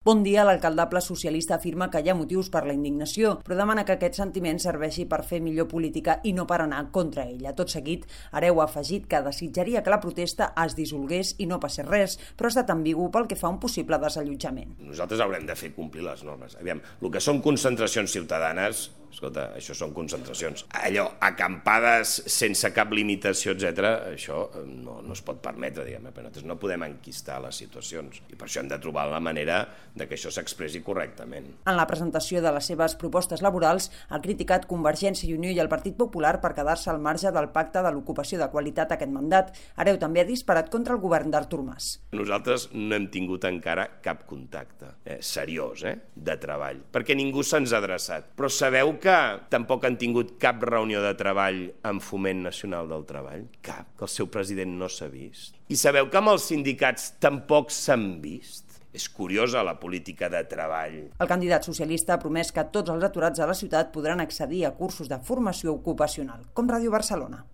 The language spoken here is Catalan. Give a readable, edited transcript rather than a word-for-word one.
Bon dia, l'alcaldable socialista afirma que hi ha motius per la indignació, però demana que aquest sentiment serveixi per fer millor política i no per anar contra ella. Tot seguit, Hereu ha afegit que desitjaria que la protesta es dissolgués i no passés res, però ha estat ambigu pel que fa a un possible desallotjament. Nosaltres haurem de fer complir les normes. Aviam, el que són concentracions ciutadanes, escolta, això són concentracions. Allò, acampades sense cap limitació, etc., això no es pot permetre, diguem-ne, però nosaltres no podem enquistar les situacions i per això hem de trobar la manera de que això s'expressi correctament. En la presentació de les seves propostes laborals, ha criticat Convergència i Unió i el Partit Popular per quedar-se al marge del pacte de l'ocupació de qualitat aquest mandat. Hereu també ha disparat contra el govern d'Artur Mas. Nosaltres no hem tingut encara cap contacte seriós de treball, perquè ningú se'ns ha adreçat. Però sabeu que tampoc han tingut cap reunió de treball amb Foment Nacional del Treball? Cap, que el seu president no s'ha vist. I sabeu que amb els sindicats tampoc s'han vist? És curiosa la política de treball. El candidat socialista ha promès que tots els aturats a la ciutat podran accedir a cursos de formació ocupacional, com Ràdio Barcelona.